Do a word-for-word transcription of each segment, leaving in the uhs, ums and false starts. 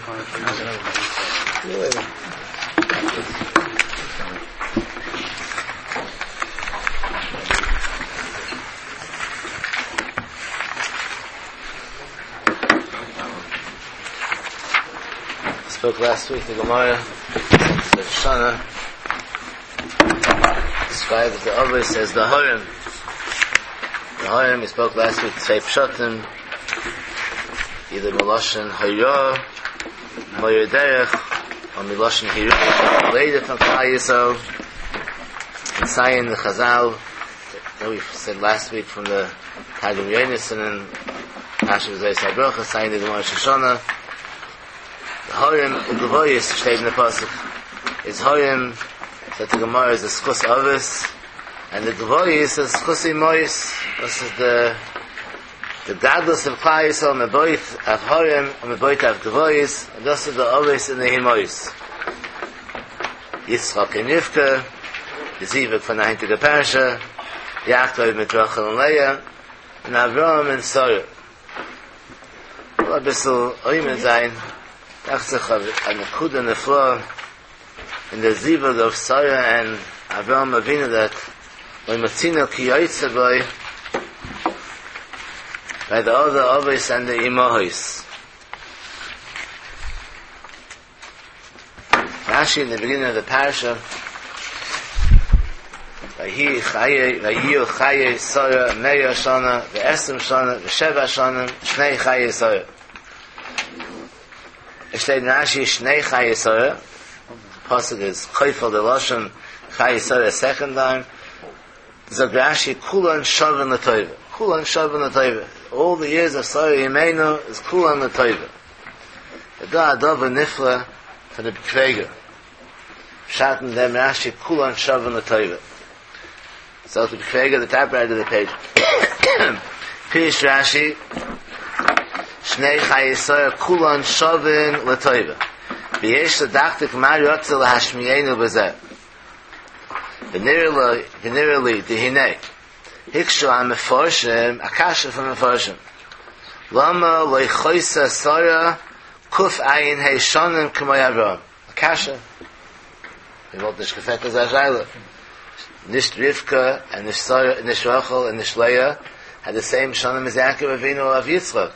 Spoke last week, the Gemara, Rosh Hashanah, describes the Avos as the Harim. The Harim, we spoke last week, Tzvei Pshatim, either Miloshin Hayah, Moyer Derech, or Miloshin Hirah, later from Klal Yisrael, and Sayin the Chazal, that we said last week from the Targum Yonasan and Pasha V'Zay Sabrocha, Sayin the Gemara Shoshana. The Horim Ugevoyis steht in the Pasuk. Is Horim that the Gemara is the Schus Avis, and the Gevoyis is Schus Imois. This is the the gadlus of Klal Yisrael, Meboit of Horim, and Meboit of Gevoyis, and this is the Avis and the Himois. Yitzchak and Rivka, the Zivik from the Heintige Parasha, Yaakov mit Rachel and Leah, and Avram and Sarah. Well, a bissel Oymen sein, dacht sich a Nekuda Nefla in the Zivug of Sarah and Avram Avinu that when Matzino ki yoytze boy by the other Avos and the Imohis. Rashi in the beginning of the parasha, Vayi Chaye, Vayi Chaye Sarah Meya Shana, Ve'esim Shana, Ve'sheva Shana, Shnei Chaye Sarah. Es steht in Rashi, Shnei Chaye Sarah. Pasuk is Chayfel de Lashon, Chaye Sarah second time. Zog Rashi, Kulan Shavan L'Toiva. Kulan Shavan L'Toiva. All the years of Sarah Yemenu is Kulan L'Toiva. The Da Adova Nifla for the B'Kveger. Pshat in them Rashi, Kulan Shavan L'Toiva. So the B'Kveger, the top right of the page. Pirish Rashi, Shnei Chaye Sarah Kulan Shavin L'Toiva. V'yesh l'dachtik ma yotze l'hashmienu b'zeh. V'nirali dihinei. Hikshu ha-meforshim, akasha from meforshim. Lama loichoisa Sarah kuf ayin hei shonim k'moy Avraham. Akasha. We wrote this gefet as a Nish Rivka and Nish Sarah, Nish Rachel and Nish Leah had the same shonim as Yaakov Avinu of Yitzchak.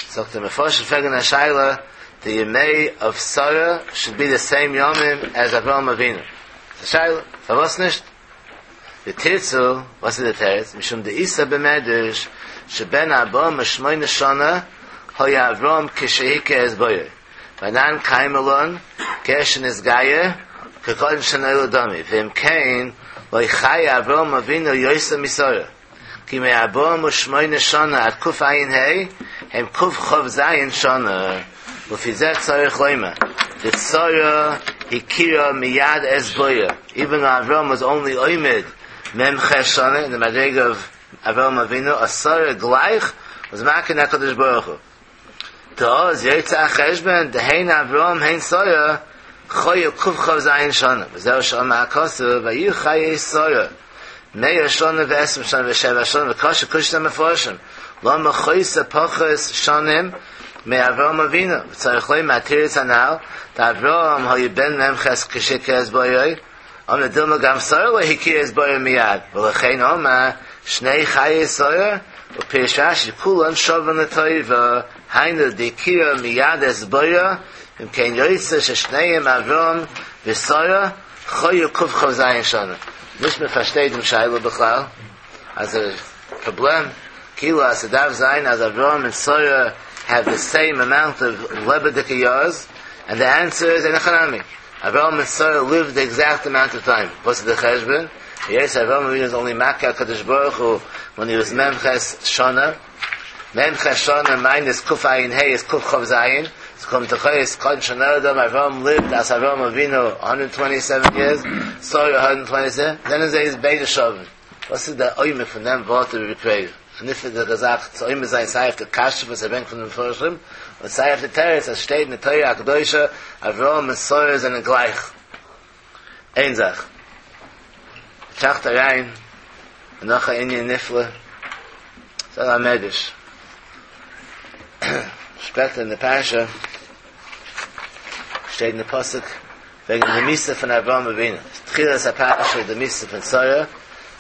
So the Meforshim Fegen HaShaila, the Yemei of Sarah should be the same Yomim as Avraham Avinu. The Shaila, Favos nisht. The Tirtzu, what's the Teretz? Mishum de'isa b'medrash, sheben Avraham shmoyne shana, hoya Avraham kishehike es boyer. Vanan kaimelon, keshen is gayer, kekon shanei l'dami. V'im kein, loy chai Avraham Avinu yoysa misara. Ki me Avraham shmoyne shana ad kuf ayin hei, hem kuf chov zayin shana. Ufi zeh tzarich loyma. The Sarah hikira miyad es boyer. Even though Avraham was only oimid mem ches shana in the madrega of Avraham Avinu, a Sarah gleich was makin HaKadosh Baruch Hu. Ta'oz yotza cheshbon dehein Avraham hein Sarah choyu kuf chov zayin shana. V'zeu shama hakasu vayu chaye Sarah meya shana ve'esim shana ve'sheva shana v'kasha kushta meforshim lama choysa pachas shanim me Avraham Avinu. V'tzarich loyma atiritz anal Avraham hayu ben memches kishike es boyoy. Om the Dilma gam Sarah lo hikir es boyoy miyad. V'lechein oma shnei chaye Sarah u'pirish Rashi kulan shavan l'toiva hainu dikira miyad es boyoy im kein yoytze sheshneim Avraham v'Sarah choyu kuf chav zayin shana. Nicht mehr versteht im Shaila b'chlal. As a problem, kilo as a dav zayin as Avraham and Sarah have the same amount of lebedika years. And the answer is Enochanami. Avraham and Sarah lived the exact amount of time. What's the cheshbon? Yes, Avraham Avinu was only Makkah Kadosh Baruch Hu when he was Memches Shana. Memches Shana minus Kuf Ayin Hey is Kuf Chav Zayin. So come to Chayes Kod Shana Adam. Avraham lived as Avraham Avinu one hundred twenty-seven years. Sarah one hundred twenty-seven. Then his is Beit Shavin. What's the oimik from them brought to be created? And if the Gazach so oimik zayin sayif the kasha was a bank from the Meforshim. Und sei auf der Teretz, es steht in der Torah HaKadoshah, Avraham and Sarah sind gleich. Ein Sach. Tracht rein, und noch ein Inyan Nifle, so ein Medrash. Später in der Parasha, שטייט אין די פסוק וועגן די מיתה פון אברהם אבינו, תחילת הפרשה איז די מיתה פון שרה,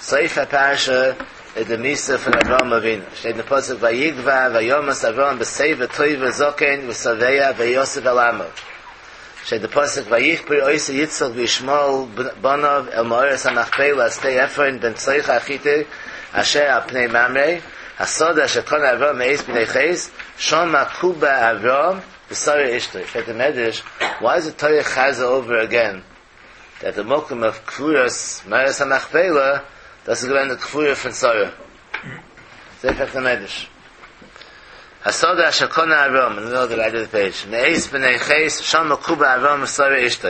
סוף הפרשה איז די מיתה פון אברהם אבינו, שטייט אין די פסוק ויגוע וימת אברהם בשיבה טובה זקן ושבע ויאסף אל עמיו, שטייט די פסוק ויקבר אותו יצחק וישמעאל בניו אל מערת המכפלה שדה עפרון בן צוחר החתי אשר על פני ממרא השדה אשר קנה אברהם מאת בני חת שמה קובר אברהם ושרה אשתו. פרעגט די מדרש, why is the Torah chazer over again that the מקום of קבורת מערת המכפלה דאס איז געווען די קבורה פון שרה? אזוי פרעגט די מדרש. השדה אשר קנה אברהם, in the middle of the right of the page, מאת בני חת שמה קובר אברהם ושרה אשתו.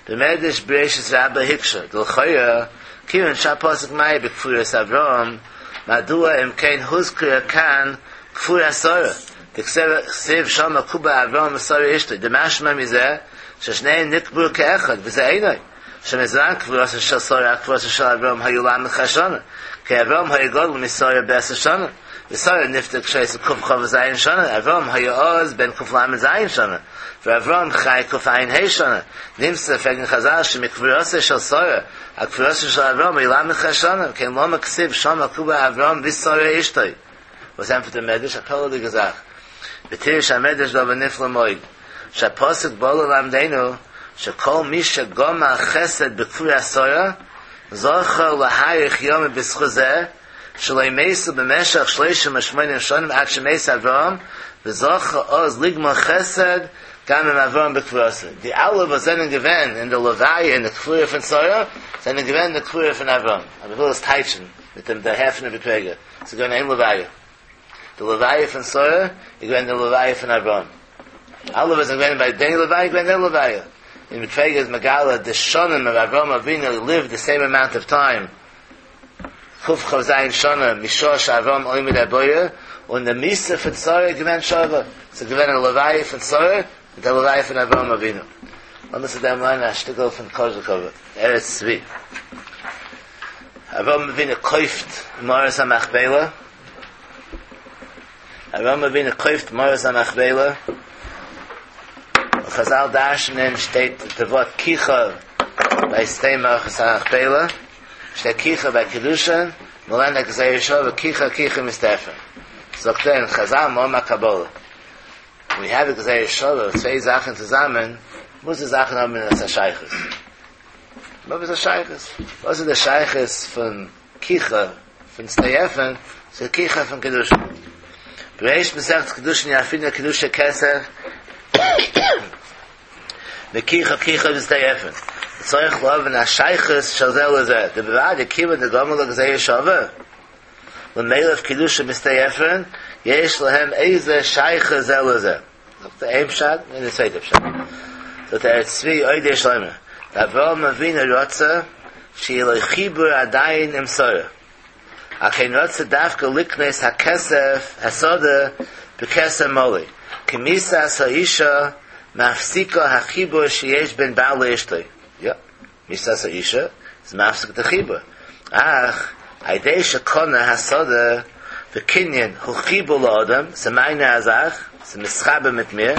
במדרש בראשית רבה הקשה, דלכאורה, כיוון שהפסוק מיהר בקבורת אברהם, מדוע אם כן הוזכרה כאן קבורת שרה? דכתיב שמה קובר אברהם ושרה אשתו, דמשמע מזה ששניהם נקברו כאחד, וזה אינו. שמזמן קבורתה של שרה עד קבורתה של אברהם היו ל"ח שנה, כי אברהם היה גדול משרה בעשר שנה, ושרה נפטרה כשהיתה קכ"ז שנה, אברהם היה אז בן קל"ז שנה, ואברהם חי קע"ה שנה, נמצא פרעגן חז"ל שמקבורתה של שרה עד קבורתה של אברהם היו ל"ח שנה, כן למה כתיב שמה קובר אברהם ושרה אשתו. וואס ענטפערט דער מדרש? א פלא'דיגע זאך. ופירש המדרש דבר נפלא מאוד, שהפסוק בא ללמדנו שכל מי שגמל חסד בקבורת שרה זכה להאריך ימים בזכות זה שלא מתו במשך שלושים ושמונים שנים עד שמת אברהם וזכה אז לגמול חסד גם עם אברהם בקבורתו. די אלע וואס זענען געווען אין די לוויה אין די קבורה פון שרה זענען געווען אין די קבורה פון אברהם. אבער איך וויל עס טייטשן מיט דעם דערהער פון רבי פרעגער. ס'איז געווען איין לוויה. די לוויה פון שרה איז געווען די לוויה פון אברהם. אלע וואס זענען געווען ביי די לוויה איז געווען די לוויה. און רבי פרעגער איז מגלה די שנים אוו אברהם אבינו lived the same amount of time קכ"ז שנה משעה שאברהם עומד הבורא, און די מיתה פון שרה איז געווען שווה. ס'איז געווען א לוויה פון שרה מיט א לוויה פון אברהם אבינו. לאמיר צו דעם לערנען א שטיקל פון קאזשיקאווער ארץ צבי. אברהם אבינו קויפט מערת המכפלה, אברהם אבינו קויפט מערת המכפלה, און חזל דרש'נען שטייט די ווארט קיחה ביי שדה מערת המכפלה, שטייט קיחה ביי קידושין, מ'לערנט א גזירה שווה קיחה קיחה משדה עפרון. זאגט ער אין חזל האבן א קבלה, ווי העוו א גזירה שווה צוויי זאכן צוזאמען, מוז די זאכן האבן עפעס א שייכות. וואס איז די שייכות? וואס איז די שייכות פון קיחה פון שדה עפרון צו קיחה פון קידושין? בריש מסכת קידושין ילפינן קידושי כסף מקיחה קיחה משדה עפרון. צריך להבין השייכות של זה לזה. דבוודאי כיוון דגמר לה גזירה שווה למילף קידושין משדה עפרון יש להם איזה שייכות זה לזה. זאגט ער איין פשט און די צווייטע פשט זאגט דער ארץ צבי עוד יש לומר דאברהם אבינו רצה שיהיה לו חיבור עדיין עם שרה על כן רצה דווקא לקנות הכסף השדה בכסף מלא כי מיתת האישה מפסיקה החיבור שיש בין בעל לאשתו יא מיתת האישה איז מפסיק די חיבור אך על ידי שקנה השדה וקנין הוא חיבור לאדם, ס'איז מיינע א זאך, ס'איז מתחבר מיט מיר,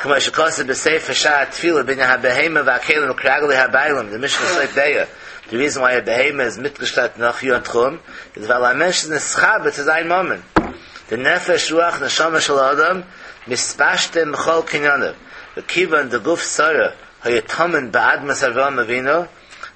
כמו שכתוב בספר שער הטבילה בענין הבהמה והכלים כרגלי הבעלים, די משנה סוף ביצה, די ריזן וויי א בהמה איז מיטגעשלעפט נאך יאר אין תחום, איז ווייל א מענטש איז נתחבר צו זיין ממון, די נפש רוח נשמה של האדם מתפשטים בכל קניניו, וכיוון דגוף שרה היה טמון באדמת אברהם אבינו,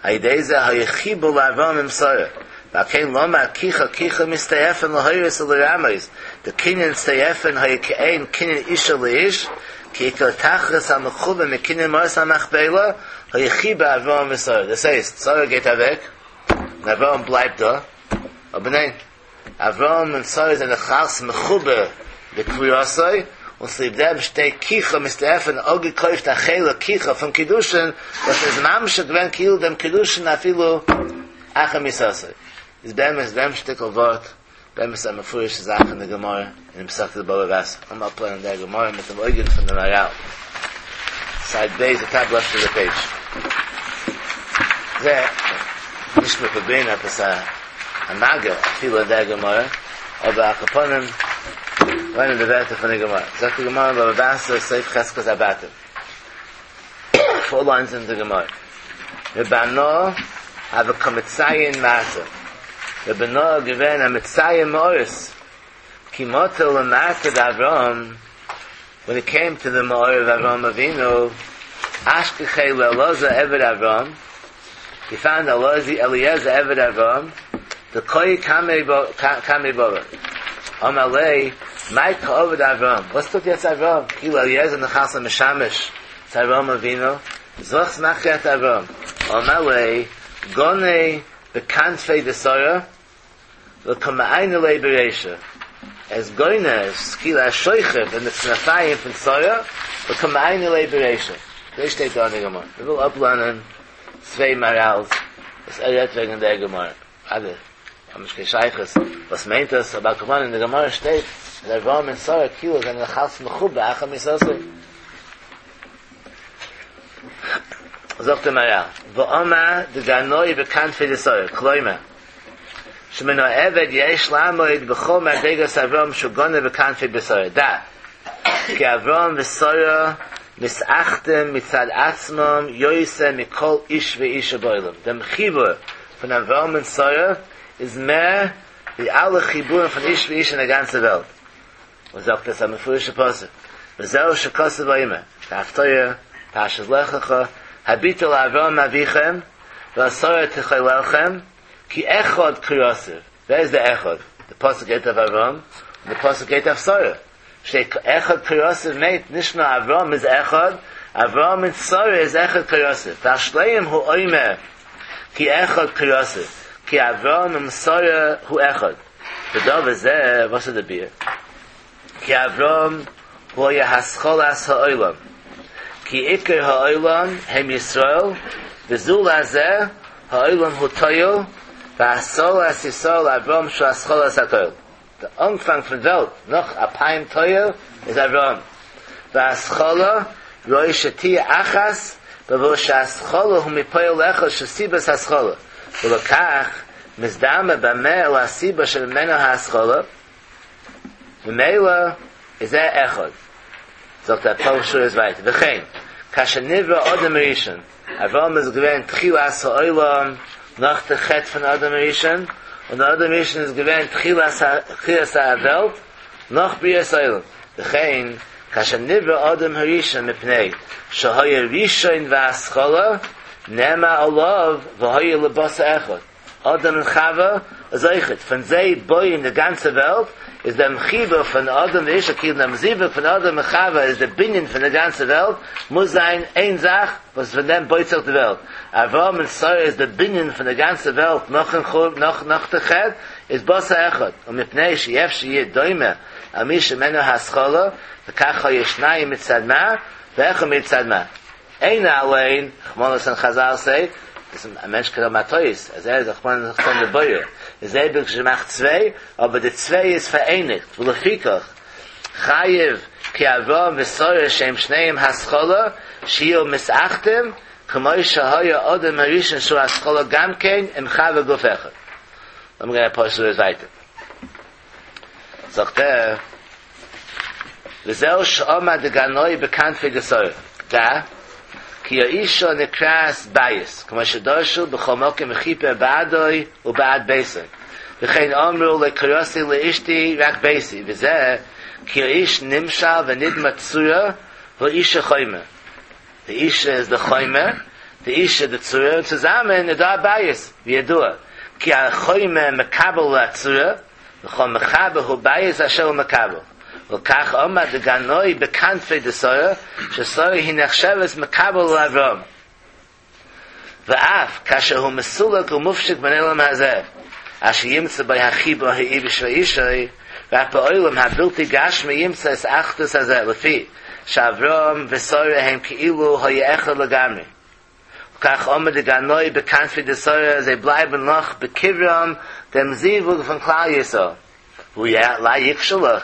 על ידי זה היה חיבור לאברהם עם שרה, ועל כן למד קיחה קיחה משדה עפרון להורות ולרמוז, דקנין שדה עפרון היה כעין קנין אישה לאיש, כי עיקר תכלית המכוון מקנין מערת המכפלה היה חיבור אברהם ושרה. דאס הייסט, שרה גייט אוועק, און אברהם בלייבט דא, אבער ניין, אברהם און שרה זענען נאך אלץ מחובר בקבורתו, און צוליב דעם שטייט קיחה משדה עפרון אפגעקויפט א חלק קיחה פון קידושין וואס איז ממשיך געווען כאילו דעם קידושין אפילו אחר מיתתו. איז באמת דעם שטיקל ווארט באמת א מפורש'ע זאך אין די גמרא אין מסכת בבא בתרא. לאמיר אפלערנען דער גמרא מיט דעם אויגן פון דעם מהר"ל. סייד ב' די טאפ לעפט אוו די פעידזש. זה נישט מיר פרובירן עפעס א א מגע אפילו אין דער גמרא, אבער על כל פנים לערנען די ווערטער פון די גמרא. זאגט די גמרא בבא בתרא סוף חזקת הבתים. Four lines in the Gemara. Rebano have a kamitzayin mata. Rebano given a mitzayin moris. Kimoto lemata Avram. When it came to the Ma'or of Avram Avinu, Ashkechei le'Eloza Eved Avram, he found Eliezer Eved Avram, the Koi Kamei Bova. Amalei, my Ka'ovid Avram. What's the Yetz Avram? Ki Eliezer nechas l'Meshamish. It's Avram Avinu. Zoch Machet Avram. Amalei, Gone bekanfei desora, v'kama'ayne le'bereisha. As goyne, skila shoichev, and the tzmafayim from Tzora, v'kama'ayne le'bereisha. This steht da in der Gemara. Wir will ablernen, zwei Marals, das er redet wegen der Gemara. Alle, haben ich kein Scheiches. Was meint das? Aber guck mal, in der Gemara steht, der Avraham und Sarah, Kilo, sind ein Chals Mechube, Acham Yisosei. Sagt der Maral, V'oma de ganoi bekannt für die Sarah, Kloime. Shemeno Eved yesh lamoid b'chol madregas Avram shugone bekannt für die Sarah. Da, ki Avram v'Sarah misachtem mitzad atzmam yoyse mikol ish ve'isha boilam. Dem Chibur von Avram und Sarah ist mehr wie alle Chiburen von Ish ve'isha in der ganzen Welt. Und sagt das am Mefurische Pasuk. V'zeu shekose v'ayime. Haftoyer, Pashas Lech Lecha, Habitu la'Avram avichem, v'asara techolelchem, ki echad kriyosiv. Where is the echad? The pasuk get of Avram, the pasuk get of Sarah. Shtei echad kriyosiv mate, nishna Avram is echad, Avram and Sarah is echad kriyosiv. V'ashleim hu oimer, ki echad kriyosiv. Ki Avram and Sarah hu echad. The dov is there, what's the beer? Ki Avram hu yahascholas ha'olam. Ki ikar ha'olam hem Yisrael, v'zul hazeh ha'olam hu toyo, v'asolas Yisrael Avram shu ascholas ha'toyo. The Anfang von Welt, noch a Toyo, is Avram. V'aschola roi shetia achas, b'vo she'aschola hu mipoyo lecha shesibas haschola. V'lokach, mizdama b'meh el hasiba shemenu ha'aschola, v'meila is er echad. Sagt der Paul ist weiter. V'chein, kasher nivra Adam Rishon. Avram is gewähnt Tchilas ha'olam nach der Chet von Adam Rishon. Und Adam Rishon is gewähnt Tchilas ha'welt nach Brias ha'olam. V'chein, kasher nivra Adam Rishon mipnei shehoya Rishon v'aschola nema olav v'hoya lebasa echad. Adam und Chava is eichet. Von zei boi in der ganze Welt is der Mchiber von Adam und Isha, ki dem Zibur von Adam und Chava is der Binin von der ganzen Welt, muss sein ein Sach, was von dem beut sich die Welt. Avraham und Sarah is der Binin von der ganzen Welt, noch in Chur, noch, noch der Ched, is Basa Echad. Und mit Pnei sheyef sheyeh doime, al mi shemenu haschola, v'kach ha-yeshnayim mitzad ma, v'echa mitzad ma. Eina alein, Chmonos and Chazal say, das ein Mensch kann auch Tois, also er ist auch mal von der Beuer. Es ist gemacht zwei, aber die zwei ist vereinigt. V'lefikach, Chayiv, ki Avram v'Sarah shem shneim haschola, shiyo misachtem, k'moi shehoya odem harishon shu haschola gamkein, im chava guf echad. Lass mich ein paar Schritte weiter. Sagt er, v'zeu she'oma de ganoi bekannt für die Sarah. Da, ki ha'isha nekras bayis, k'mo shedorshu b'chol mokim mechiper ba'adoi u'ba'ad beisoi. V'chein omru le'krosi le'ishti rak beisi. V'zeh, ki ha'ish nimshal v'nidma tzura v'isha choymer. The isha is the choymer, the isha the tzura, zusammen the bayis, v'yadua. Ki ha'choymer mekabel la'tzura, v'chol mechaber hu bayis asher hu mekabel. V'kach omar de ganoi bekanfei de Sarah, sheSarah hi nechsheves mekabel la'Avram. V'af, kasher hu mesulak u'mufshik ben elam hazeh, asher yimtza by hachiba ha'ibish v'ishay, v'af ba'olam ha'bilti gashmi yimtza es achdus hazeh, lefi, she'Avram v'Sarah hem ki'ilu ha'ye'echad lagamri. Kach omer de ganoi bekanfei de Sarah, ze bleiben noch bekivram dem zivug von Klal Yisrael. Hu ya la yikshalach,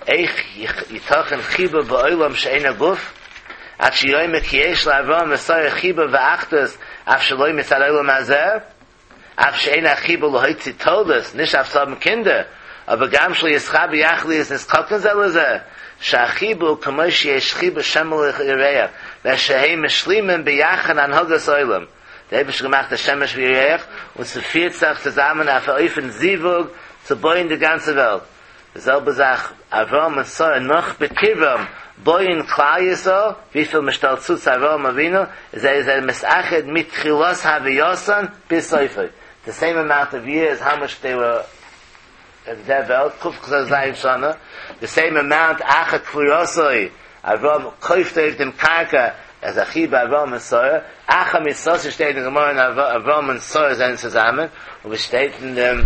eich yitochen chiba ba'olam she'ein ha'guf, ad sheyoyme ki yesh la'Avram v'Sarah chiba v'achdus, af shaloi mitzad olam hazeh, af she'ein ha'chiba lohoitzi toldos, nish af tzabim kinder, aber gam shlo yischa b'yachli is niskoken ze lezeh, שהחיבור כמו שיש חיבור שם לרעך, ושהם משלימים ביחד הנהגת העולם. דער אייבערשטער האט געמאכט די שמש וירח און ס'פירט זיך צוזאמען אויף א אופן זיווג צו בויען די גאנצע וועלט. די זעלבע זאך אברהם און שרה נאך בקברם בויען כלל ישראל, וויפיל מ'שטעלט צו צו אברהם אבינו איז זיי זענען מתאחד מתחילת הווייתן ביז סופו, די סעים אמאונט אוו יערס האו מאטש דעי ווער אין דער וועלט, קכ"ז שנה, די סעים אמאונט אחר קבורתו, אברהם קויפט אויף דעם קרקע, אז א חיבור אברהם און שרה, אחר מיתתו שטייט אין גמרא און אברהם און שרה זענען צוזאמען, און ווי שטייט אין דעם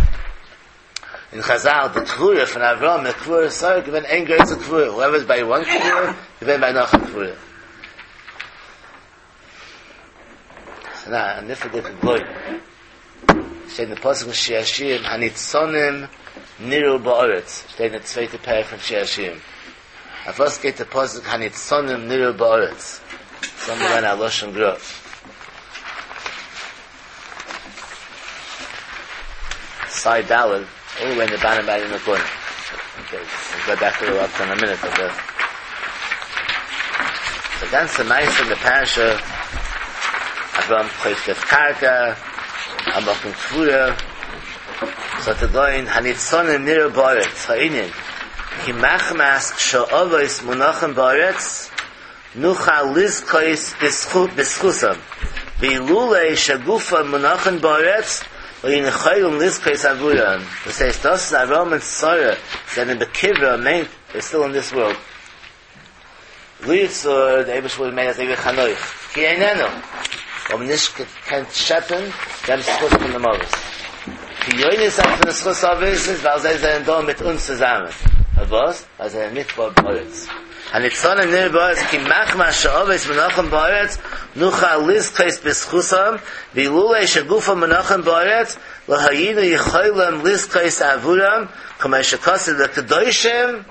אין חזל די קבורה פון אברהם מיט קבורת שרה געווען איין גרויסע קבורה, whoever איז ביי one קבורה געווען ביי נאך א קבורה. ס'איז א נפלא'דיגע גלויבן. שטייט אין פסוק אין שיר השירים הניצנים נראו בארץ, שטייט אין די צווייטע פרק פון שיר השירים. אויף וואס גייט די פסוק הניצנים נראו בארץ? זאל מיר לערנען א לשון גרא. Side Daled, all the way in the bottom right in the corner. Okay, we'll go back to the left in a minute. But the, the ganze מעשה אין די פרשה, אברהם קויפט אויף קרקע, א מקום קבורה, זאגט דער גאון, הניצנים נראו בארץ, הענין, כי מחמת שהאבות מונחים בארץ, נוכל לזכות בזכותם, ואילולא שגופם מונחים בארץ, לא היינו יכולים לזכות עבורם. דאס הייסט, דאס אז אברהם און שרה זענען בקברה מיינט they're still in this world. לו יצויר, דער אייבערשטער וואלט געמיינט אזוי ווי חנוך, כי איננו, האבן נישט געקענט שעפן דעם זכות פון דעם אבות. חיוניות פון די זכות אבות איז ווייל זיי זענען דא מיט אונז צוזאמען. פארוואס? ווייל זיי זענען נקבר בארץ. הניצנים נראו בארץ כי מחמת שהאבות מונחים בארץ נוכל לזכות בזכותם ואילולא שגופם מונחים בארץ לא היינו יכולים לזכות עבורם כמו שכתוב לקדושים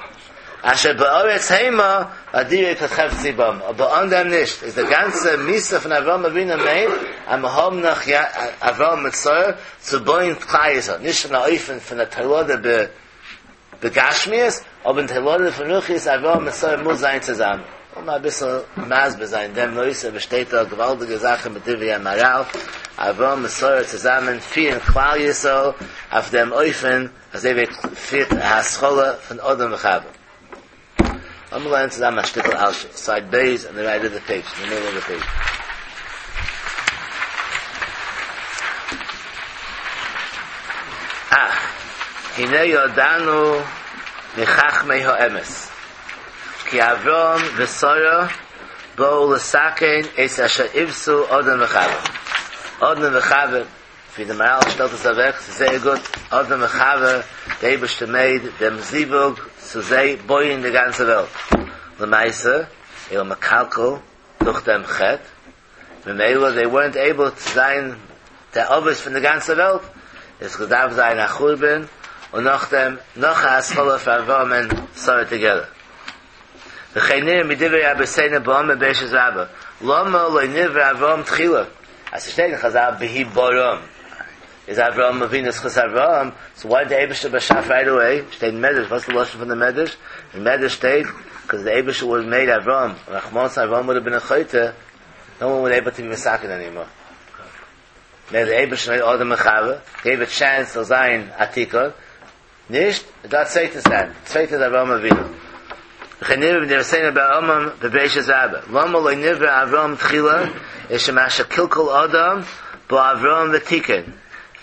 אשר בארץ המה ואדירי כל חפצי בם אבער אן דעם נישט איז די גאנצע מיתה פון אברהם אבינו מיינט אז מיר האבן נאך אברהם מיט שרה צו בויען כלל ישראל נישט אין א אופן פון א תולדה ב בגשמיות, אבער אין תולדה פון רוחניות אברהם מיט שרה מוז זיין צוזאמען. לאמיר אביסל מסביר זיין דעם נושא וואס שטייט דא געוואלדיגע זאכן בדברי המהרל, אברהם מיט שרה צוזאמען פירן כלל ישראל אויף דעם אופן אזוי ווי פירט התחלה פון אדם וחווה. לאמיר לערנען צוזאמען א שטיקל אלשיך, סייד ב' אן די רייט אוו די פעידזש, אין די מידל אוו די פעידזש. אך, הנה ידענו מחכמי האמת, כי אברהם ושרה באו לתקן את אשר עותו אדם וחווה. אדם וחווה, ווי די מהרל שטעלט עס אוועק, ס'איז זייער גוט, אדם וחווה, די אייבערשטער מעיד דעם זיווג צו זיי בויען די גאנצע וועלט, למעשה איז מקלקל דורך דעם חטא, ממילא they weren't able צו זיין די אבות פון די גאנצע וועלט, עס געדארפט זיין א חורבן, און נאכדעם נאך א התחלה פאר אברהם און שרה together. וכן נראה מדברי רבותינו בעמוד בראשית רבה, למה לא נברא אברהם תחילה? אז ס'שטייט אין חזל בהבראם איז אברהם אבינו זכות אברהם, סאו וויי די אייבערשטער באשאף רייט אוועי? שטייט אין מדרש, וואס איז די לשון פון די מדרש? אין מדרש שטייט, קאז די אייבערשטער וואלט מעיד אברהם, רחמנא ליצלן אברהם וואלד האב בין א חוטא, נאו וואן וואלד עיבל טו בי מתקן ענימאר. מער די אייבערשטער מעיד אדם וחווה, געיוו א טשענס זאל זיין א תיקון, נישט, איז דא א צווייטע סטעפ, צווייטע איז אברהם אבינו. וכן נראה מדברי רבותינו בעמוד בבראשית רבה, למה לא נברא אברהם תחילה, איז שמה שקלקל אדם, בא אברהם ותיקן.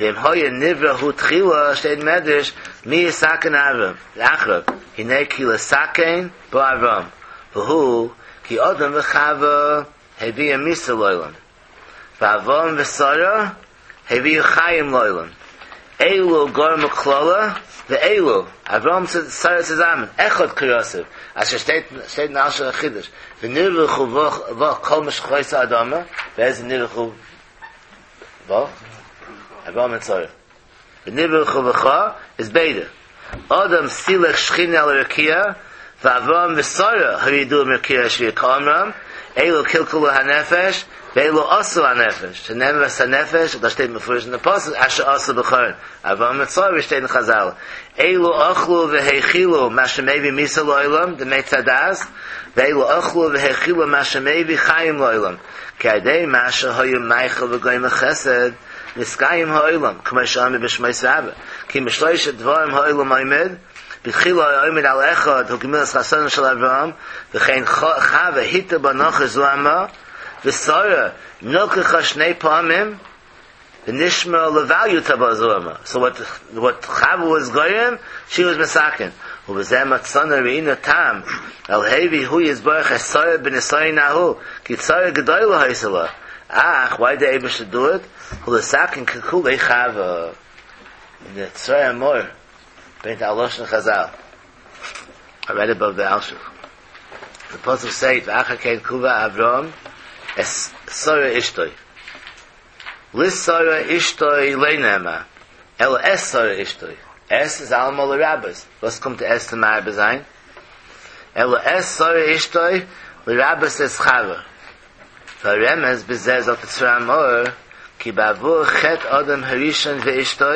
ואם היה נברא הוא תחילה, שטייט אין מדרש, מי יתקן אברהם, אחריו, הנה כי לתקן בא אברהם, והוא כי אדם וחווה הביאו מיתה לעולם. ואברהם ושרה הביאו חיים לעולם, אלו גרמו קללה ואלו, אברהם און שרה צוזאמען, אחד קרסיו, אשר שטייט שטייט אין אלשיך א חידוש, ונברכו בך כל משחית האדמה, ווער איז ונברכו בך? אברהם און שרה. ונברכו בך איז ביידע. אדם סילק שכינה אל הרקיע, ואברהם ושרה הורידוה מרקיע השביעי כאמרם, אלו קלקלו הנפש, ואלו עשו הנפש, שנאמר ואת הנפש, דאס שטייט מפורש אין די פסוק, אשר עשו בחרן, אברהם מיט שרה ווי שטייט אין חזל, אלו אכלו והאכילו מה שמביא מיתה לעולם, דעם עץ הדעת, ואלו אכלו והאכילו מה שמביא חיים לעולם, כי על ידי מה שהיה מאכיל וגומל חסד, נתקיים העולם, כמו שאמרו בשמות רבה, כי משלושה דברים העולם עומד, בתחילה היה עומד על אחד הוא גמילת חסדים של אברהם, וכן חוה הטעה בנחש זוהמא, ושרה נלקחה שני פעמים, ונשמרה לבל יוטעה בה זוהמא. So what, what Chava was גורם, she was מתקן. ובזה מצאנו ראינו טעם, על הביא הוא יתברך את שרה בנסיון ההוא, כי צרה גדולה היתה לה. אך, why did the Eibush do it? הוא לתקן קלקולי חווה. In the צרור המור, ברענגט א לשון חזל. I read above the Alshich. The pasuk says, "ואחר כן קבר אברהם את שרה אשתו." לשרה אשתו לא נאמר, אלא את שרה אשתו. את איז אלעמאל לרבות. וואס קומט די את צו מרבה זיין? אלא את שרה אשתו לרבות את חווה. והרמז בזה זאגט דער צרור המאור כי בעבור חטא אדם הראשון ואשתו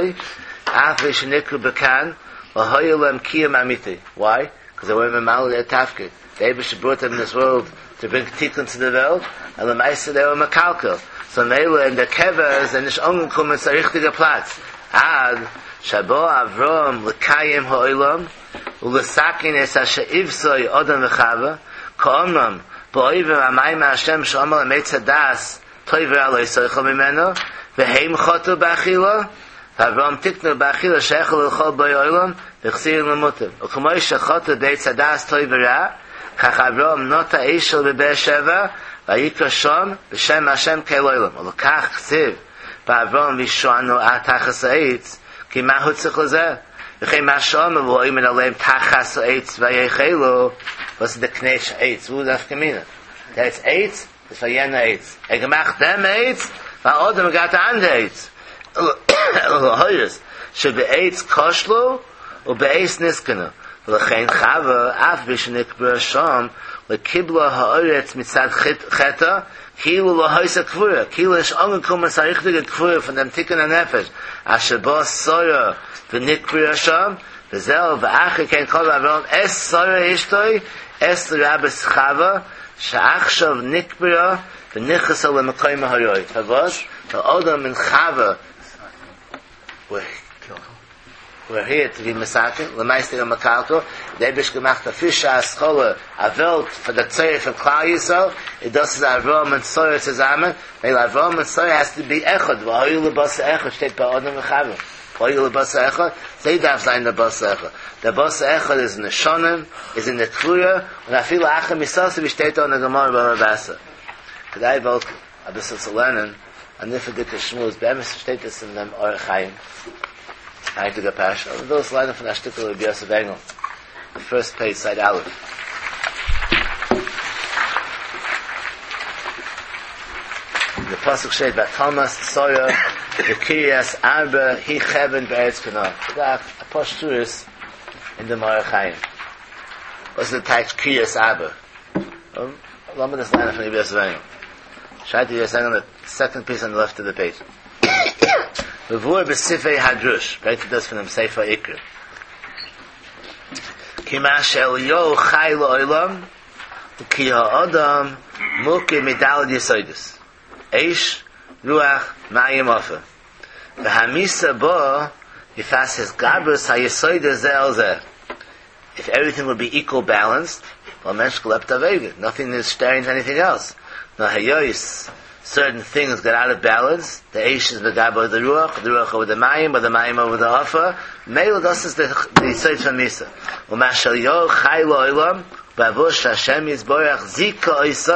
אף על פי שנקראו בכאן לא היה להם קיום אמיתי. Why? Because they weren't ממלא their תפקיד. The Eibush brought them in this world to bring תיקון to the וועלט, and למעשה they were מקלקל. So מילא אין דער קבר איז נישט אנגעקומען צו א ריכטיגע פלאץ. עד שבא אברהם לקיים העולם ולתקן את אשר עותו אדם וחווה, כאמרם בעובר על מאמר השם שאמר להם עץ הדעת טוב ורע לא תאכל ממנו, והם חטאו באכילה, ואברהם תיקנו באכילה שהאכל לכל באי עולם והחזירם למוטב. וכמו שחטאו בעץ הדעת טוב ורע, כך אברהם נטע אשל בבאר שבע ויקרא שם בשם השם קל עולם. ולכך כתיב באברהם וישענו תחת העץ, כי מה הוא צריך לזה? וכן מה שאמר והוא עומד עליהם תחת העץ ויאכלו, וואס איז די קנייטש עץ? וואו איז נפקא מינה? דער עץ עץ איז פאר יענע עץ. ער האט געמאכט דעם עץ, ווייל אדם האט געהאט א אנדערע עץ. אלא להורות שבעץ כשלו ובעץ נתקנו. ולכן חווה אף על פי שנקברה שם לא קיבלה הארץ מצד חטאה כאילו לא היתה קבורה, כאילו נישט אנגעקומען צו א ריכטיגע קבורה פון דעם תיקון הנפש אשר באה שרה ונקברה שם, וזהו ואחר כן קבר אברהם את שרה אשתו את לרבות חווה שעכשיו נקברה ונכנסה למקומה הראוי. פארוואס? ווייל אדם און חווה were here to be מתקן, למעשה זענען מקלקל, דער אייבערשטער געמאכט א פרישע התחלה, א וועלט פאר די צורך פון כלל ישראל, און דאס איז אברהם און שרה צוזאמען, מילא אברהם און שרה has to be אחד, והיו לבשר אחד שטייט ביי אדם וחווה, והיו לבשר אחד, זיי דארף זיין דער בשר אחד, דער בשר אחד איז אין די שנים, איז אין די קבורה, און אפילו אחר מיתתו ווי שטייט דא אין די גמרא בבא בתרא. כדאי וואלט אביסל צו לערנען א נפלא'דיגע שמועס, באמת שטייט עס אין דעם אור החיים, היינטיגע פרשה, אבער מ'וויל עס לערנען פון א שטיקל רבי יוסף ענגל, די פירסט פעידזש סייד א'. אין די פסוק שטייט ותמת שרה בקרית ארבע היא חברון בארץ כנען. ס'דא אפאר שורות אין דעם אור החיים. וואס איז די טייטש קרית ארבע? לאמיר דאס לערנען פון רבי יוסף ענגל. שרייבט רבי יוסף ענגל אין די סעקאנד פיס אן די לעפט אוו די פעידזש. מבואר בספרי הדרוש, ברענגט ער דאס פונעם ספר עיקרים. כי מה שאליהו חי לעולם, כי האדם מורכב מד' יסודות, אש, רוח, מים, עפר. והמיתה באה מפאת התגברות היסודות זה על זה. If everything would be equal balanced, וואלט מענטש געלעבט אייביג, nothing is staring to anything else. נאר היות certain things got out of balance, the אש איז מגבר the רוח, the רוח over the מים, or the מים over the עפר, מילא דאס איז די יסוד פון מיתה. ומה שאליהו חי לעולם, בעבור שהשם יתברך זיכה אותו,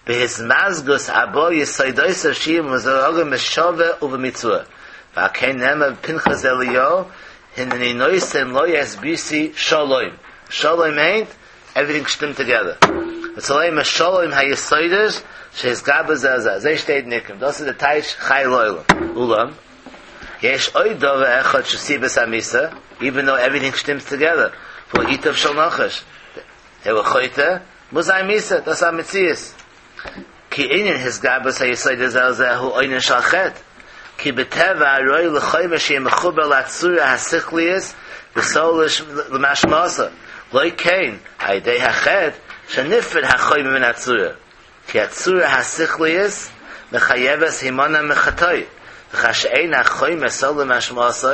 בהתמזגות ארבעה יסודותיו שיהיו מזווגים בשווה ובמיצוע. ועל כן נאמר בפנחס אליהו, הנני נותן לו את בריתי שלום. שלום מיינט, everything שטימט together. וצלם השלום היסודות שהתגברו זה על זה. אזוי שטייט אין עיקרים. דאס איז די טייטש חי לעולם. אולם, יש עוד דבר אחד שסיבת המיתה, even though everything שטימט together, והוא ייטב של נחש. הוא חוטא, מוז זיין מיתה, דאס איז א מציאות. כי ענין התגברות היסודות זה על זה הוא עונש על חטא, כי בטבע הראוי לחומר שיהיה מחובר לצורה השכלית וסולש למשמעותה, לא כן על ידי החטא שנפרד החומר מן הצורה, כי הצורה השכלית מחייבת הימנע מחטאי, וכאשר אין החומר סולש למשמעותו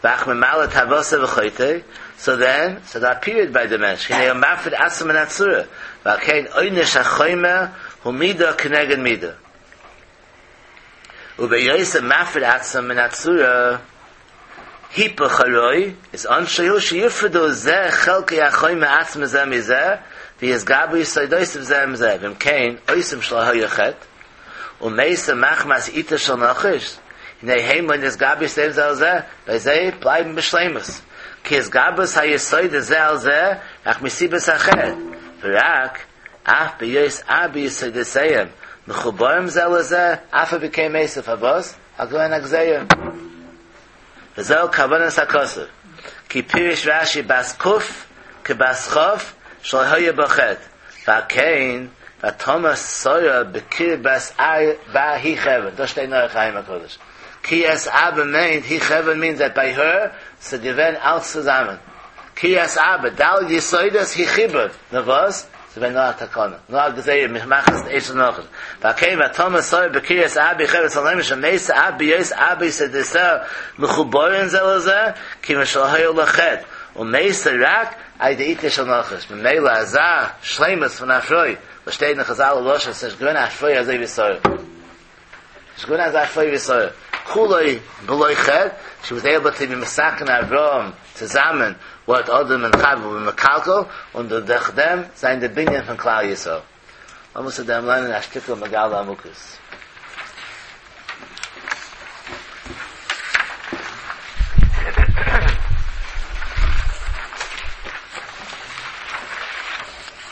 ואך ממלא תאוותו וחוטא, so then, so that period by the mensch, הנה הוא מפריד עצמו מן הצורה, ועל כן עונש החומר הוא מידה כנגד מידה. וביוסף מפריד עצמו מן הצורה, היפוך הרוי, is אנשי שיפרדו זה חלקי החומר עצמו זה מזה, ויסגבו יסודויסף זה מזה, ואם כן, אויסם של היה חטא, ומייסה מחמס איתה של נחש, הנה הם לא נסגבו יסודם זה על זה, וזה בלייבן בשלימוס. כי הסגבוס היסוד זה על זה, רק מסיבס החטא. ורק, אף ביוס אבי יסודסיהם, מחוברים זה לזה, אף בקי מסף הבוס, הגויין הגזיר. וזהו כוונס הכוסף. כי פירש רש"י בס קוף, כבס חוף, של היה בחטא. ועל כן, ותאמר שרה בקיר בס בה היא חבן. דאס שטייט אין אור החיים הקדוש. כי es אבא meant, he חבן means that by her, so given אלץ צוזאמען. כי es אבא, דל יסודות he חיבר. נו וואס? So wenn נאר תקנה. נאר גזירה, מחמחס אש נאך. ועל ותאמר שרה בקיר es אבא חבן, סלם שמייס אבא יוס אבא יסודסה, מחוברים זה לזה, כי משל היה לחטא. ומייס רק, על ידי איתה של נחש. ממילא הזה, שלמס פון אפרוי, וואס שטייט אין חז"ל לושן, ס'איז געווען א פרוי אזוי ווי שרה. ס'איז געווען אזא פרוי ווי שרה. כולוי בלוי חטא, she was able to be mesaken Avram zusammen what Adam and Chava were mekalkel, und durch dem sein der Binyan von Klal Yisrael. Man muss dem lernen a shtikl Megala Amukus.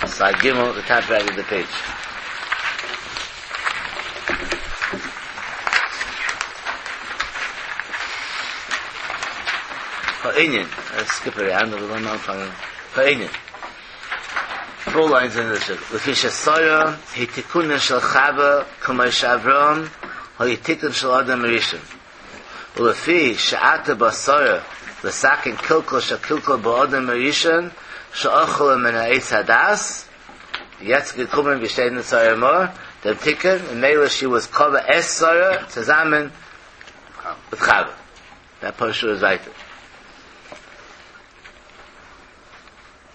Slide Gimel, the top right of the page. Ha'inyan. Let's skip around a little more. Ha'inyan. Four lines in the shuk. Lefi shesara hitikuna shel Chava k'mo she'Avram ha'yitikun shel Adam Rishon. Ulefi she'ata basara l'sakin kilkol she'kilkol ba'adam Rishon she'achol min ha'etz hadas. Jetzt gekommen, wir stehen in Sarah Moore, dem Tikkun, in Mela she was cover es Sarah, zusammen with Chava. That portion is weiter.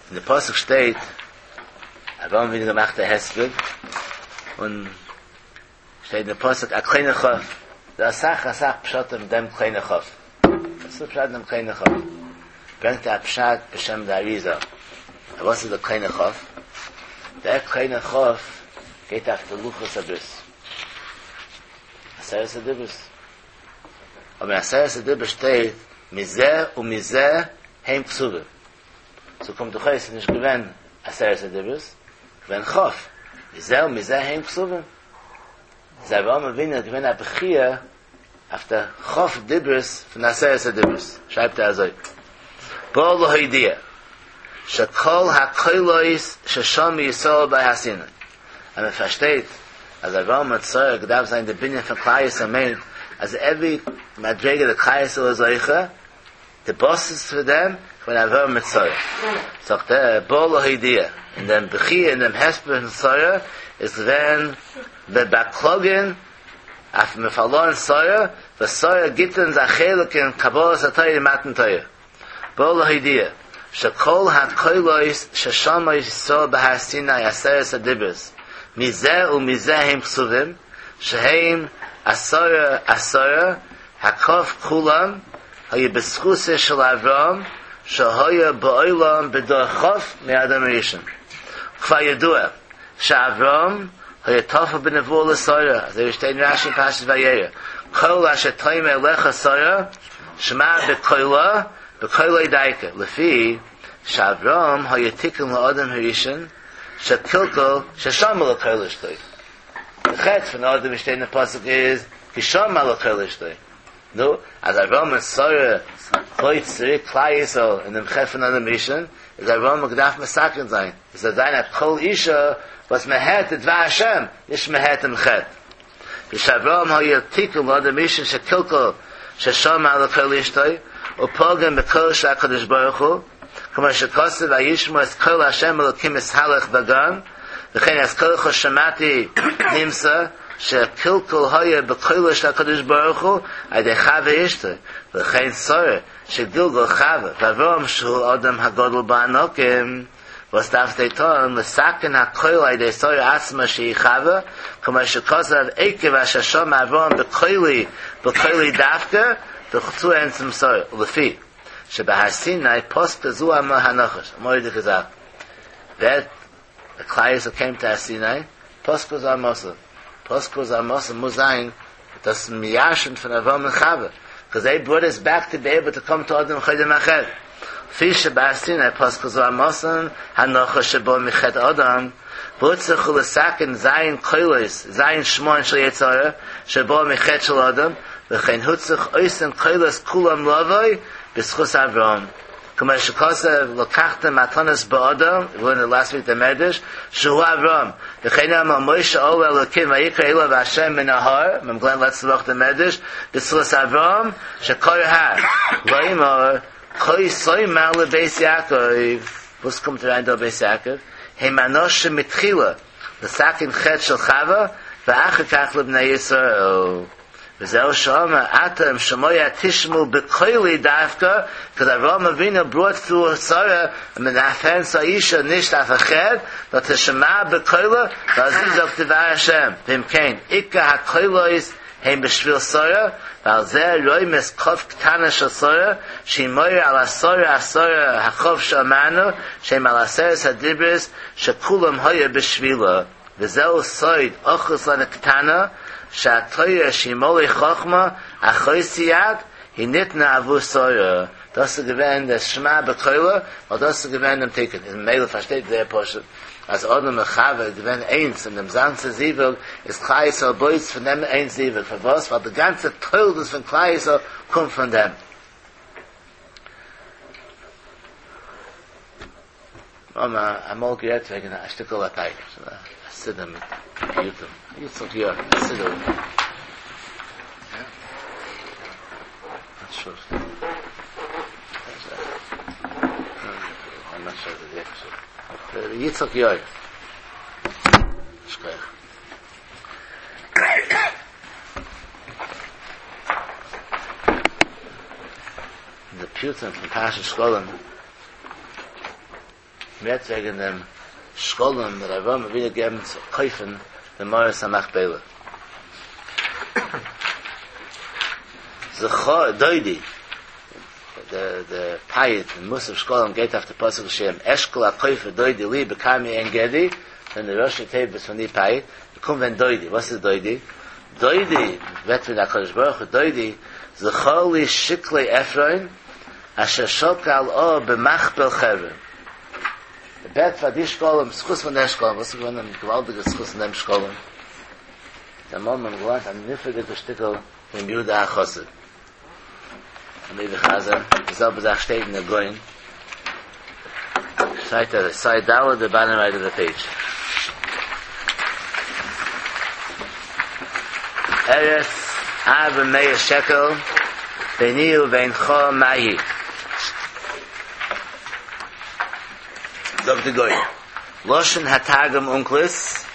In der Pasuk steht, Avraham Avinu gemacht der Hesped, und steht in der Pasuk, a kleine Chof. Da sach, a sach pshat dem kleine Chof. Das ist der Pshat dem kleine Chof. Bringt der Pshat b'shem der Arizal. Was ist der kleine Chof? Der kleine Chof geht auf der Luchos Abris. Aseres Adibris. Aber in Aseres Adibris steht, Mizeh und Mizeh heim Ksube. So kommt der Chayes nicht gewinn Aseres Adibris, gewinn Chof. Mizeh und Mizeh heim Ksube. Sei Avraham Avinu gewinn a Bechia auf der Chof Dibris von Aseres Adibris. Schreibt er also. Bo lo hoidia. Shekol hakoilois sheshom Yisrael bei Hasina. Und man versteht, als Avraham mit Sarah gedarf sein, der Binyan von Klal Yisrael meint, als every Madrega der Klal Yisrael ist Oicha, the boss is for them, when Avraham mit Sarah. Sagt er, Bo lo hoidia. In dem Bechia, in dem Hesper von Sarah, ist wenn wir baklogen, auf dem verloren Sarah, was Sarah gibt uns a Chelik in Kabbalah Satayr, in Matan Torah. Bo lo hoidia. Shekol hakoilois sheshama Yisrael b'Har Sinai aseres adibros mizeh u'mizeh heim ksuvim sheheim asara asara hakof kulam hayu b'schuseh shel Avram shehoya ba'olam b'dor chof me'adam rishon kfar yedua she'Avram hayu tofa b'nevuah l'Sara as they state in Rashi Parshas Vayera kol asher toimer lecha Sara shema b'koila b'koilei daika lefi she'Avram hayatikun la'adam harishon shekilkol sheshama l'koil ishtoi. The chet from Adam Rishtei in the pasuk is kishama l'koil ishtoi. No, as Avram and Sarah hoyt tzrik Klal Yisrael in the chet from Adam Rishon is Avram gedarf mesaken sein. Is a zayin at kol isha וואס מען הערט די דבר השם, נישט מען הערט דעם חטא. ושאברהם היה תיקון לאדם הראשון שקלקל ששמע לקול אשתו ופגם בקול של הקדוש ברוך הוא, כמו שכתוב וישמעו את קול השם אלוקים מתהלך בגן, וכן את קולך שמעתי נמצא שקלקול היה בקולו של הקדוש ברוך הוא על ידי חוה אשתו, וכן שרה שגלגול חוה ואברהם שהוא אדם הגדול בענקים. וואס דארף זיי טון לתקן הקול על ידי שרה עצמה שהיא חוה, כמו שכתוב עקב אשר שמע אברהם בקולי בקולי דווקא ורצו צום שרה, ולפי שבהר סיני פסקה זוהמא הנחש, א מורא'דיגע זאך, ווען די כלל ישראל came to הר סיני, פסקה זוהמתא, פסקה זוהמתא מוז זיין דאס מ'ירשנט פון אברהם און חוה, because they brought us back to be able to come to אדם קודם החטא. לפי שבהר סיני פסקה זוהמתן הנחש שבא מחטא אדם, והוצרכו לתקן ז' קולות, ז' שמועות של יצר הרע, שבא מחטא של אדם, וכן הוצרך אותן קולות כולם לבוא בזכות אברהם. כמו שכתוב לקחתם מתנות באדם, we learned last week the מדרש, שהוא אברהם. וכן אמר משה עלה אלוקים ויקרא אליו השם מן ההר, מ'האט געלערנט לעצטע וואך דעם מדרש, בזכות אברהם, שקרא הר, לאמור, כה תאמר לבית יעקב, וואס קומט אריין דא בית יעקב? הם אנשים מתחילה, לתקן חטא של חווה, ואחר כך לבני ישראל. וזהו שאמר, אתם שמוע תשמעו בקולי דווקא, because אברהם אבינו brought through שרה, מנפן האישה נישט אויף א חטא, נאר תשמע בקולו, ואז זאגט דבר השם, ואם כן, עיקר הקולות הם בשביל שרה, ועל זה רומז כף קטנה של שרה, שהיא מורה על עשרה עשרה הכף שאמרנו, שהם על עשרת הדיברות, שכולם היה בשבילה. וזהו סוד אחוז לנו קטנה, שהתורה שהיא מלא חכמה, אחותי את, היא ניתנה עבור שרה. דאס איז געווען דער שמע בקולו, ווייל דאס איז געווען דעם תיקון. איז ממילא פארשטייט זייער פשוט, אז אדם און חווה איז געווען איינס, און דעם גאנצע זיווג איז כלל ישראל בויס פון דעם איין זיווג. פארוואס? ווייל די גאנצע תולדות פון כלל ישראל קומט פון דעם. מ'האט אמאל גערעדט וועגן א שטיקל א פייט, א סידור מיט פיוטים, יצחק יא, א סידור. יצחק יאיר. שכוח. די פיוטים פון פרשת שקלים מ'רעדט וועגן דעם שקלים וואס אברהם אבינו געגעבן צו קויפן די מערת המכפלה. זכור דודי, די די פיוט אין מוסף שקלים גייט אויף די פסוק שיר אשכול הכופר דודי לי בכרמי עין גדי, פון די ראשי תיבות פון די פיוט, קומט ווען דודי, וואס איז דודי? דודי רעדט פון הקדוש ברוך הוא, דודי זכור לי שקלי עפרון אשר שקל אב במכפל חברון. ער בעט פאר די שקלים, זכות פון די שקלים, וואס איז געווען דעם געוואלדיגע זכות פון דעם שקלים? אמאל האט מען געלערנט א נפלא'דיגע שטיקל פון יהודה החסיד. און די חזר, די זעלבע זאך שטייט אין די גאון. שטייט אז side ד' the bottom right of the page. ארץ ארבע מאות שקל ביני ובינך מה היא. זאגט די גאון, לשון התרגום אונקלוס,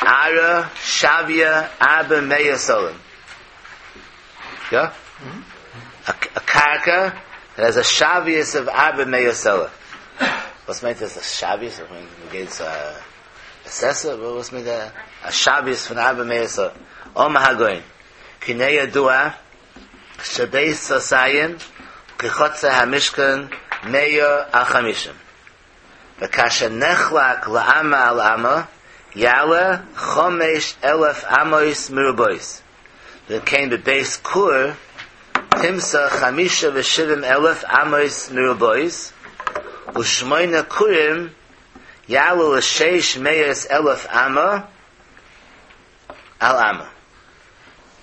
ארעא שוויא ארבע מאה סלין. יא? א קרקע that has a שוויות of ארבע מאה סלע. וואס מיינט דאס א שוויות? איך מיין מ'גייט צו א assessor, וואס מיינט א שוויות פון ארבע מאה סלע? אמר הגאון, כי הנה ידוע שבית סאתים כחצר המשכן מאה על חמישים. וכאשר נחלק לאמה על אמה יעלה חמש אלף אמות מרובעות, וכן בבית כור תמצא חמישה ושבעים אלף אמות מרובעות, ושמונה כורים יעלו לשש מאות אלף אמה על אמה.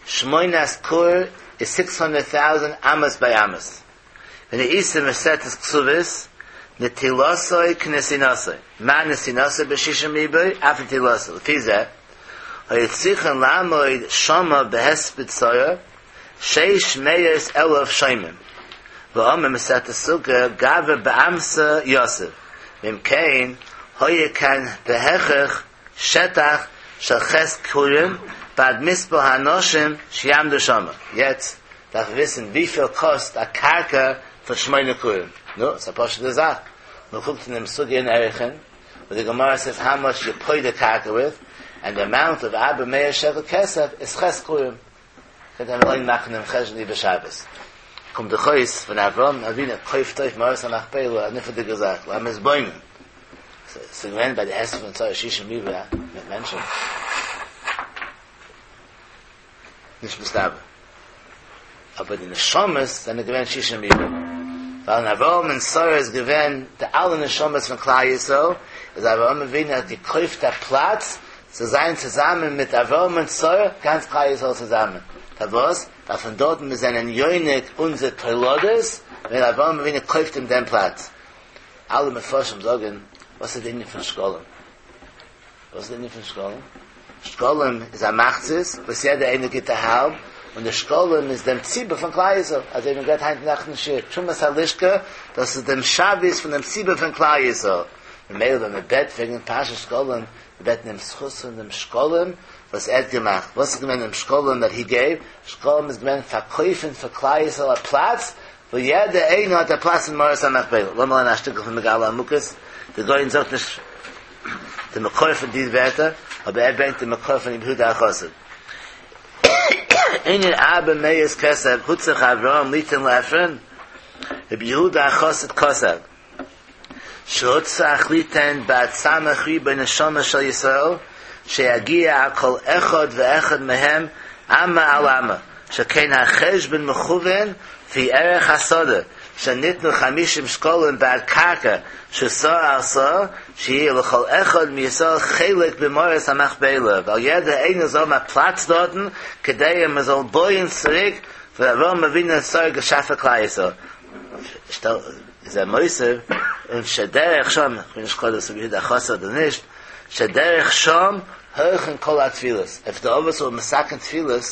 שמונת כור איז six hundred thousand אמות by אמות. והנה איתא מסכת כתובות, נטילתו כנתינתו, מה נתינתו בשישים ריבוא, אף נטילתו, לפי זה, היו צריכין לעמוד שמה בהספד שרה, שש מאות אלף שומעים. ואמר מסכת סוכה, גברא באמתא יתיב. ואם כן, היה כאן בהכרח שטח של ח' כורים, בעד מספר האנשים שיעמדו שמה. יעצט דארף מען וויסן וויפיל קאסט א קרקע פון שמונה כורים. נו, ס'איז א פשוט'ע זאך. מען קוקט אין דעם סוגיא אין ערכין, וואו די גמרא סעיס האו מאטש יו פודה קרקע וויט, ענד די אמאונט אוו ארבע מאות שקל כסף איז ח' כורים. קענט איר אליין מאכן דעם חשבון איבער שבת. קומט דאך אויס ווען אברהם אבינו קויפט אויף מערת המכפלה א נפלא'דיגע זאך, למתבונן. ס'איז געווען ביי די הספד פון שרה שישים ריבוא מיט מענטשן. נישט מסתבר. אבער די נשמות זענען געווען שישים ריבוא. ווייל אין אברהם און שרה איז געווען די אלע נשמות פון כלל ישראל, איז אברהם אבינו האט געקויפט א פלאץ צו זיין צוזאמען מיט אברהם און שרה, גאנץ כלל ישראל צוזאמען. פארוואס? ווייל פון דארטן מיר זענען יונק אונזער תולדות, ווען אברהם אבינו קויפט אים דעם פלאץ. אלע מפרשים זאגן, וואס איז די ענין פון שקלים? וואס איז די ענין פון שקלים? שקלים איז א מחצית וואס יעדער איינער גיט א האלב, און די שקלים איז דעם ציבור פון כלל ישראל, אזוי ווי מען גערעדט היינט נאכט אין שיעור, תרומת הלשכה, דאס איז דעם שוויות פון דעם ציבור פון כלל ישראל. ממילא ווען מען בעט וועגן פרשת שקלים, מען בעט אין דעם זכות פון דעם שקלים וואס ער האט געמאכט. וואס איז געווען דעם שקלים דעט הי געיוו? שקלים איז געווען פארקויפן פאר כלל ישראל א פלאץ וואו יעדער איינער האט א פלאץ אין מערת המכפלה. לאמיר לערנען א שטיקל פון מגלה עמוקות, דער גאון זאגט נישט די מקור פון די ווערטער, אבער ער ברענגט די מקור פון רבי יהודה החסיד. ענין ארבע מאות כסף הוצרך אברהם ליתן לעפרון, רבי יהודה החסיד כתב, שהוצרך ליתן בעד סמך ריבוא נשמה של ישראל, שיגיע על כל אחד ואחד מהם אמה על אמה, שכן החשבון מכוון לפי ערך השדה, שניתנו חמישים שקלים בעד קרקע שסאה על סאה, שיהיה לכל אחד מישראל חלק במערת המכפלה, ווייל יעדער איינער זאל האבן א פלאץ דארטן, כדי מען זאל בויען צוריק וואס אברהם אבינו און שרה געשאפן כלל ישראל. שטעל איז ער מוסיף און שדרך שם, איך בין נישט קלאר דאס רבי יהודה החסיד אדער נישט, שדרך שם הולכין כל התפילות, איף די אבות ווער מתקן תפילות,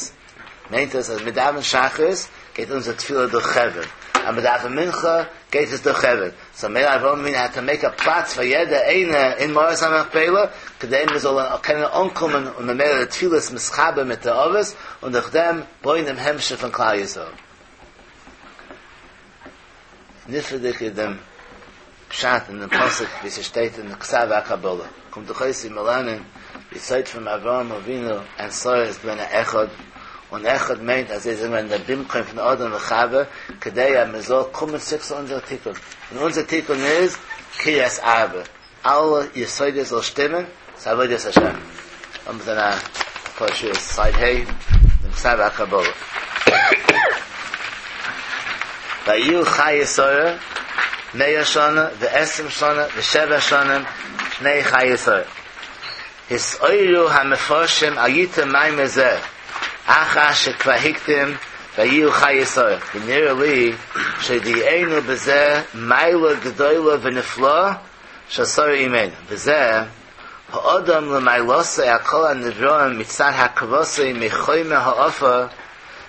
מיינט עס אז מיר דאווענען שחרית גייט אונזער תפילה דורך חברון, אז מיר דאווענען מנחה גייט עס דורך חברון, סאו מילא אברהם אבינו האט טו מעיק א פלאץ פאר יעדער איינער אין מערת המכפלה, כדי מיר זאלן קענען אנקומען און ממילא די תפילות מתחבר מיט די אבות, און דורך דעם בויען דעם המשך פון כלל ישראל. נפלא'דיג איז דעם פשט אין דעם פסוק ווי ס'שטייט אין כתב הקבלה, קומט דאך אויס ווי מיר לערנען די יסוד פון אברהם אבינו און שרה איז געווען א אחד, און אחד מיינט אז זיי זענען געווען דער במקום פון אדם וחווה, כדי אז מען זאל קומען צוריק צו אונזער תיקון, און אונזער תיקון איז קריית ארבע, אלע יסודות זאל שטימען צו עבודת השם. לאמיר זען א פאר שורות סייד ה' דעם כתב הקבלה. ויהיו חיי שרה מאה שנה ועשרים שנה ושבע שנים שני חיי שרה. התעוררו המפרשים על יתרון מאמר זה אחר שכבר הקדים ויהיו חיי שרה ונראה לי שהודיענו בזה מעלה גדולה ונפלאה של שרה אמנו וזה האדם למעלתו על כל הנבראים מצד הרכבתו מחומר העפר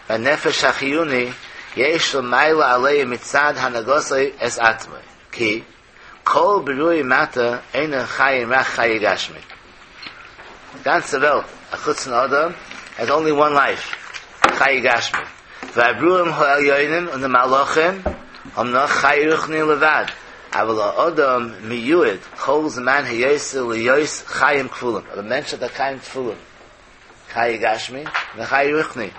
והנפש החיוני יש לו מעלה עליהם מצד הנהגתו את עצמו כי כל ברואי מטה אינם חיים רק חיי גשמי. די גאנצע וועלט, אחוץ פון אדם, has only one life, חיי גשמי. והברואים העליונים און די מלאכים האבן נאך חיי רוחני לבד, אבל האדם מיועד כל זמן היותו להיות חיים כפולים, אבער מענטש האט א חיים כפולים, חיי גשמי און חיי רוחני,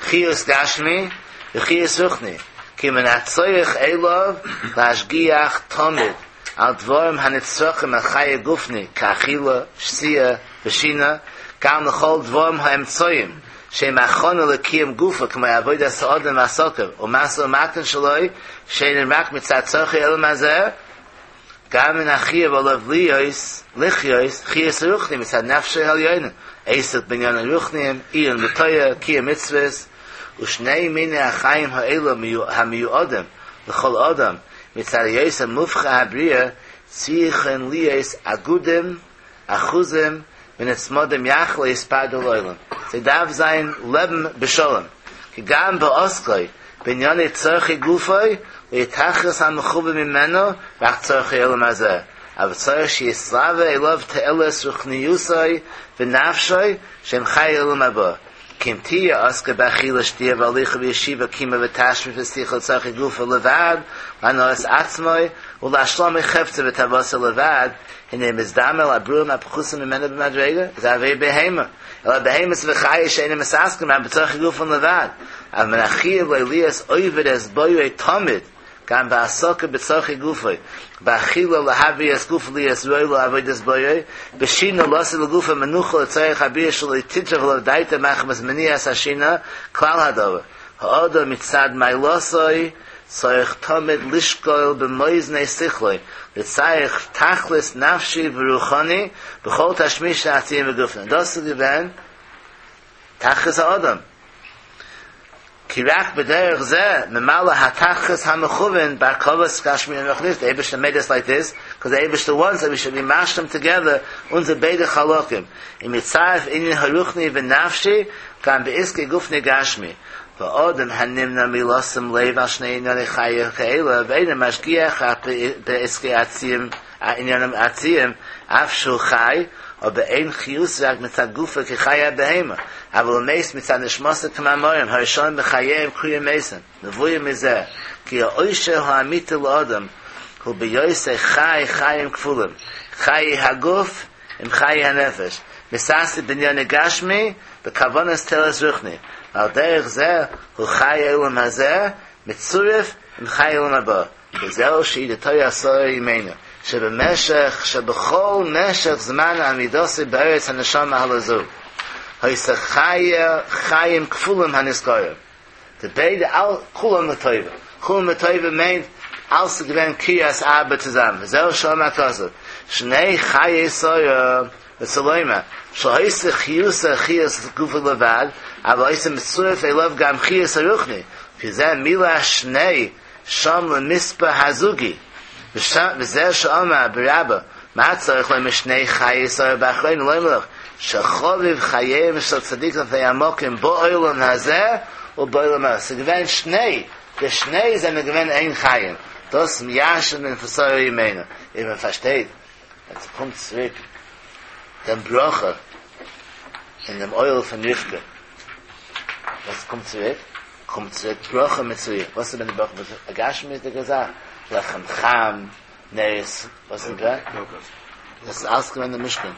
חיות גשמי וחיות רוחני, כי מן הצורך אליו להשגיח תמיד על דברים הנצרכים על חיי גופני כאכילה, שתיה ושינה, גם לכל דברים האמצעיים שהם הכנה לקיום גופו כמו עבודת האדם ועסקיו ומשא ומתן שלו שאינם רק מצד צרכי עולם הזה, גם מן החיוב עליו להיות לחיות חיות רוחני מצד נפשו העליונה, עסק בעניינים רוחניים, עיון בתורה, קיום מצוות, ושני מיני החיים האלו המיועדים לכל אדם מצד היות המובחר הבריאה צריכין להיות אגודים אחוזים ונצמדים יחד לא יתפרדו לעולם. זיי דארף זיין לעבן בשלום. כי גם בעסקו בעניני צרכי גופו לא יתכלית המכוון ממנו רק צרכי עולם הזה, אבל צריך שיתלווה אליו תועלת רוחניותו ונפשו שהם חיי עולם הבא. כי אם תהיה עסקה באכילה שתיה והליכה וישיבה קימה ותשמיש ושיחה לצרכי גופו לבד להנאת עצמו ולהשלמת חפצו ותאוותו לבד הנה מזדמן לברואים הפחותים ממנו במדרגה זה הוי בהמה אלא בהמות וחיות שאינם מתעסקים רק בצרכי גופם לבד אבל מן החיוב לו להיות עובד את בוראו תמיד גם בעסקה בצרכי גופו באכילה להבריא את גופו להיות ראוי לעבודת בוראו בשינה לתת לגופו מנוחה לצורך הבריאה שלא תטרף עליו דעתו מחמת מניעת השינה כלל הדבר האדם מצד מעלתו צריך תמיד לשקול במאזני שכלו לצורך תכלית נפשי ורוחני בכל תשמיש העצים וגופנו דאס איז געווען תכלית האדם כי רק בדרך זה ממלא התכלית המכוון בהרכבת גשמי ורוחנית the Eibishter made us like this because the Eibishter wants that we should be משלים together אונזער ביידע חלקים אם יצרף עניין הרוחני ונפשי גם בעסקי גופני גשמי ואדם הנמנע מלשים לב על שני ענייני חיי כאלה ואינו משגיח רק בעסקי עצים עניינים עציים אף שהוא חי אבער אין חיות רק מצד גופו כחיי הבהמה אבל הוא מת מצד נשמתו כמאמרם הרשעים בחייהם קרויים מתים מבואר מזה כי העושר האמיתי לאדם הוא בהיותו חי חיים כפולים חיי הגוף עם חיי הנפש מתעסק בענייני גשמי בכוונת תועלת רוחני ועל דרך זה הוא חי עולם הזה מצורף עם חי עולם הבא וזהו שהעידה שרה אמנו שבמשך שבכל משך זמן עמידתו בארץ הנשמה הלזו היתה חיה חיים כפולים הנזכרים די ביידע אל כולם לטובה כולם לטובה מיינט אלץ געווען קריית ארבע צוזאמען וזהו שאמר הכתוב שני חיי שרה רצה לומר שהיתה חיותה חיות גופה לבד אבל היתה מצורף אליו גם חיות הרוחני כי זה מילה שני שם למספר הזוגי וזה שאמר ברבה מה צריך לומר שני חיי שרה באחרונה לומר לך שחביב חייהם של צדיק לפני המקום בעולם הזה ובעולם הזה ס'געווען שני די שני זענען געווען איין חיים דאס ירש'נט מען פון שרה אמנו און מען פארשטייט ווען ס'קומט צוריק דעם ברכה אין דעם אוהל פון רבקה וואס קומט צוריק קומט צוריק ברכה מצויה וואס איז געווען די ברכה מצויה א גשמיות'דיגע זאך לחם חם נרות וואס איז געווען דאס איז אלס געווען אין משכן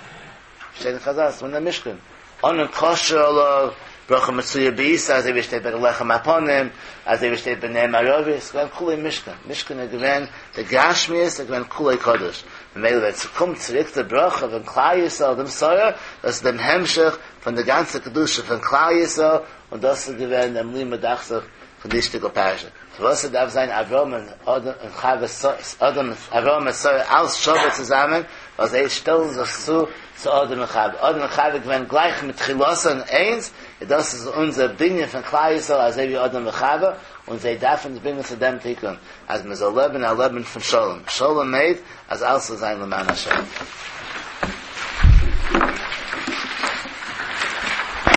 שטייט אין חזל ס'איז געווען אין משכן ענן קשור עליו ברכה מצויה בעיסה אזוי ווי שטייט ביי די לחם הפנים אזוי ווי שטייט ביי נר מערבי ס'איז געווען כולו משכן משכן איז געווען די גשמיות איז געווען כולו קדוש ממילא ווען ס'קומט צוריק די ברכה פון כלל ישראל דעם שרה דאס איז דעם המשך פון די גאנצע קדושה פון כלל ישראל און דאס איז געווען דעם לימוד דאכט זיך פון די שטיקל פרשה פארוואס ס'דארף זיין אברהם און אדם און חווה אדם אברהם און שרה אלס שווה צוזאמען ווייל זיי שטעלן זיך צו צו אדם און חווה אדם און חווה געווען גלייך מתחילתן איינס און דאס איז אונזער בנין פון כלל ישראל אזוי ווי אדם וחווה און זיי דארפן אונז ברענגען צו דעם תיקון אז מען זאל לעבן א לעבן פון שלום שלום מיינט אז אלעס זאל זיין למען השם.